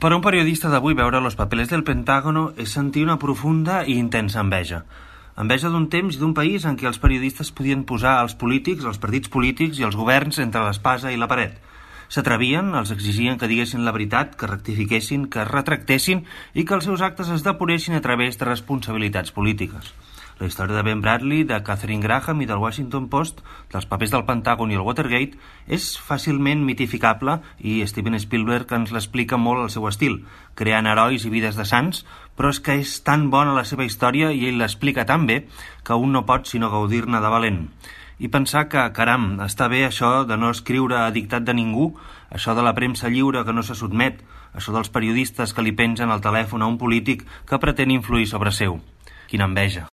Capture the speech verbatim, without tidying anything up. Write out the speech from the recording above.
Per a un periodista d'avui, veure Los papeles del Pentágono és sentir una profunda i intensa enveja. Enveja d'un temps i d'un país en què els periodistes podien posar els polítics, els partits polítics i els governs entre l'espasa i la paret. S'atrevien, els exigien que diguessin la veritat, que rectifiquessin, que es retractessin i que els seus actes es depuressin a través de responsabilitats polítiques. La història de Ben Bradley, de Katharine Graham i del Washington Post, dels papers del Pentàgon i el Watergate, és fàcilment mitificable i Steven Spielberg ens l'explica molt al seu estil, creant herois i vides de sants, però és que és tan bona la seva història i ell l'explica tan bé que un no pot sinó gaudir-ne de valent. I pensar que, caram, està bé això de no escriure a dictat de ningú, això de la premsa lliure que no se sotmet, això dels periodistes que li pengen al telèfon a un polític que pretén influir sobre seu. Quina enveja.